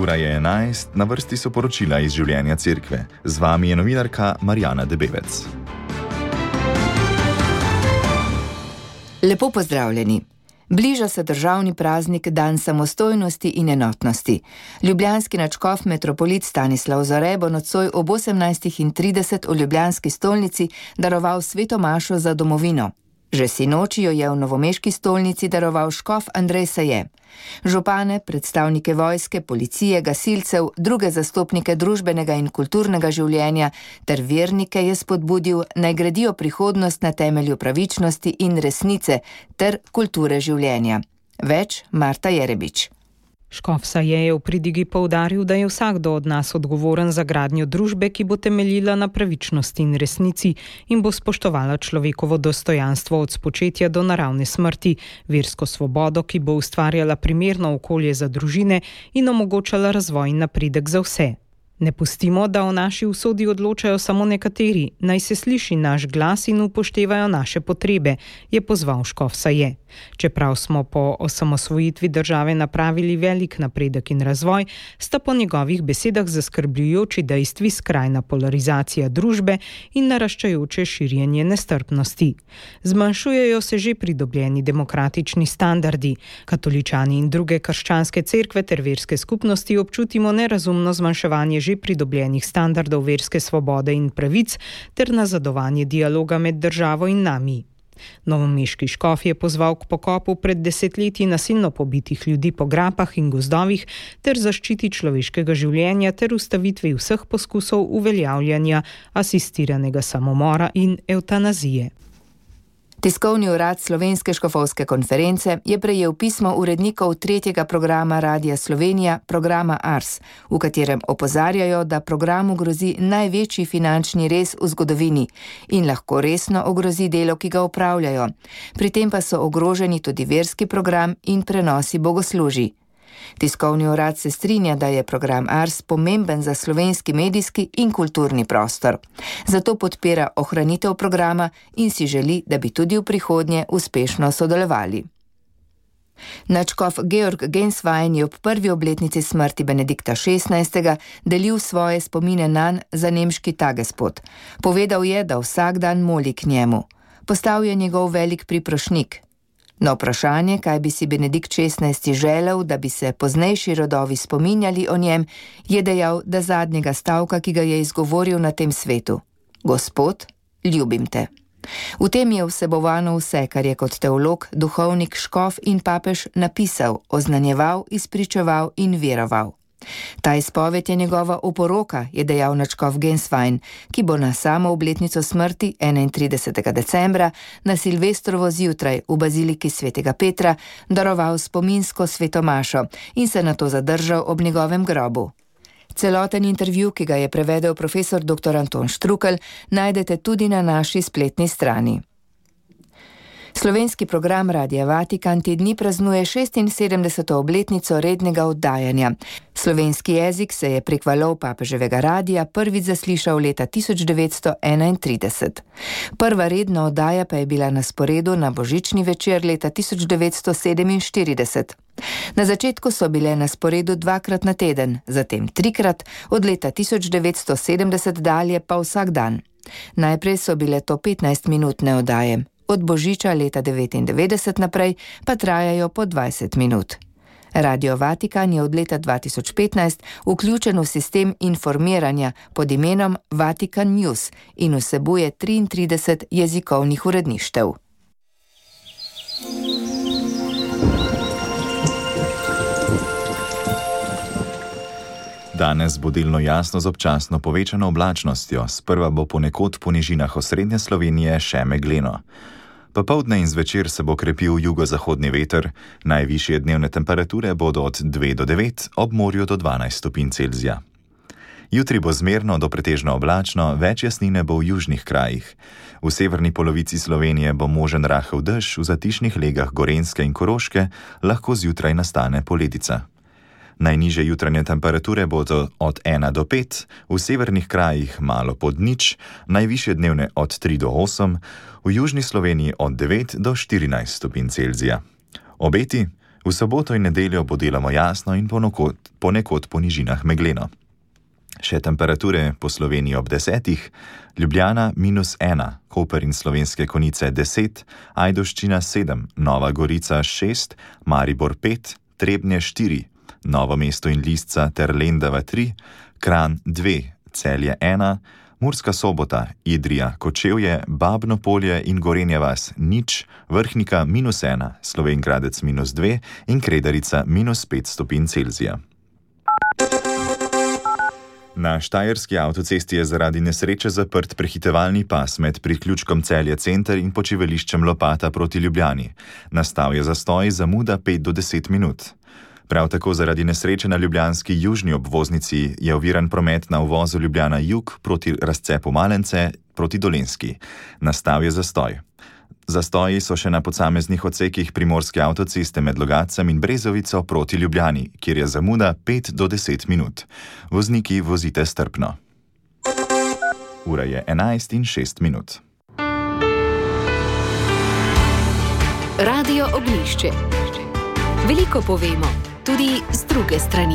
Ura je 11, na vrsti so poročila iz življenja cerkve. Z vami je novinarka Marjana Debevec. Lepo pozdravljeni. Bliža se državni praznik Dan samostojnosti in enotnosti. Ljubljanski nadškof metropolit Stanislav Zore bo nocoj ob 18:30 v ljubljanski stolnici daroval sveto mašo za domovino. Že sinoči jo je v novomeški stolnici daroval škof Andrej Saje. Župane, predstavnike vojske, policije, gasilcev, druge zastopnike družbenega in kulturnega življenja ter vernike je spodbudil, naj gradijo prihodnost na temelju pravičnosti in resnice ter kulture življenja. Več Marta Jerebič. Škof Saje je v pridigi poudaril, da je vsakdo od nas odgovoren za gradnjo družbe, ki bo temeljila na pravičnosti in resnici in bo spoštovala človekovo dostojanstvo od spočetja do naravne smrti, versko svobodo, ki bo ustvarjala primerno okolje za družine in omogočala razvoj in napredek za vse. Ne pustimo, da o naši usodi odločajo samo nekateri, naj se sliši naš glas in upoštevajo naše potrebe, je pozval škof Saje. Čeprav smo po osamosvojitvi države napravili velik napredek in razvoj, sta po njegovih besedah zaskrbljujoči dejstvi skrajna polarizacija družbe in naraščajoče širjenje nestrpnosti. Zmanjšujejo se že pridobljeni demokratični standardi. Katoličani in druge krščanske cerkve ter verske skupnosti občutimo nerazumno zmanjševanje že pridobljenih standardov verske svobode in pravic ter nazadovanje dialoga med državo in nami. Novomeški škof je pozval k pokopu pred desetletji nasilno pobitih ljudi po grapah in gozdovih ter zaščiti človeškega življenja ter ustavitvi vseh poskusov uveljavljanja asistiranega samomora in evtanazije. Tiskovni urad Slovenske škofovske konference je prejel pismo urednikov tretjega programa Radia Slovenija, programa Ars, v katerem opozarjajo, da programu grozi največji finančni rez v zgodovini in lahko resno ogrozi delo, ki ga opravljajo. Pri tem pa so ogroženi tudi verski program in prenosi bogoslužij. Tiskovni urad se strinja, da je program Ars pomemben za slovenski medijski in kulturni prostor. Zato podpira ohranitev programa in si želi, da bi tudi v prihodnje uspešno sodelovali. Nadškof Georg Genswein je ob prvi obletnici smrti Benedikta XVI. Delil svoje spomine nanj za nemški Tagespot. Povedal je, da vsak dan moli k njemu. Postal je njegov velik priprošnik. Na vprašanje, kaj bi si Benedikt XVI. Želel, da bi se poznejši rodovi spominjali o njem, je dejal, da zadnjega stavka, ki ga je izgovoril na tem svetu: Gospod, ljubim te. V tem je vsebovano vse, kar je kot teolog, duhovnik, škof in papež napisal, oznanjeval, izpričeval in veroval. Ta izpoved je njegova oporoka, je dejal nadškof Genswein, ki bo na samo obletnico smrti 31. decembra na Silvestrovo zjutraj v baziliki svetega Petra daroval spominsko sveto mašo in se nato zadržal ob njegovem grobu. Celoten intervju, ki ga je prevedel profesor dr. Anton Štrukelj, najdete tudi na naši spletni strani. Slovenski program Radia Vatikan te dni praznuje 76. obletnico rednega oddajanja. Slovenski jezik se je prek valov papeževega radija prvič zaslišal leta 1931. Prva redna oddaja pa je bila na sporedu na božični večer leta 1947. Na začetku so bile na sporedu dvakrat na teden, zatem trikrat, od leta 1970 dalje pa vsak dan. Najprej so bile to 15-minutne oddaje. Od božiča leta 1999 naprej pa trajajo po 20 minut. Radio Vatikan je od leta 2015 vključen v sistem informiranja pod imenom Vatikan News in vsebuje 33 jezikovnih uredništev. Danes bo delno jasno z občasno povečano oblačnostjo, sprva bo ponekod po nižinah osrednje Slovenije še megleno. Popoldne in zvečer se bo krepil jugozahodni veter, najvišje dnevne temperature bodo od 2 do 9, ob morju do 12 stopinj Celzija. Jutri bo zmerno do pretežno oblačno, več jasnine bo v južnih krajih. V severni polovici Slovenije bo možen rahel dež, v zatišnih legah Gorenjske in Koroške lahko zjutraj nastane poledica. Najnižje jutranje temperature bodo od 1 do 5, v severnih krajih malo pod nič, najvišje dnevne od 3 do 8, v južni Sloveniji od 9 do 14 stopinj Celzija. Obeti: V soboto in nedeljo bo deloma jasno in ponekod po nižinah megleno. Še temperature po Sloveniji ob 10, Ljubljana -1, Koper in Slovenske Konjice 10, Ajdovščina 7, Nova Gorica 6, Maribor 5, Trebnje 4, Novo mesto in Lisca ter Lendava 3, Kranj 2, Celje 1, Murska Sobota, Idrija, Kočevje, Babno Polje in Gorenja vas 0, Vrhnika -1, Slovenj Gradec -2 in Kredarica -5 stopinj Celzija. Na štajerski avtocesti je zaradi nesreče zaprt prehitevalni pas med priključkom Celje center in počivališčem Lopata proti Ljubljani. Nastal je zastoj, zamuda 5 do 10 minut. Prav tako zaradi nesreče na ljubljanski južni obvoznici je oviran promet na uvozu Ljubljana jug proti razcepu Malence proti Dolenjski. Nastal je zastoj. Zastoji so še na posameznih odsekih primorske avtoceste med Logatcem in Brezovico proti Ljubljani, kjer je zamuda 5 do 10 minut. Vozniki vozite strpno. Ura je 11:06. Radio Ognjišče. Veliko povemo, tudi z druge strani.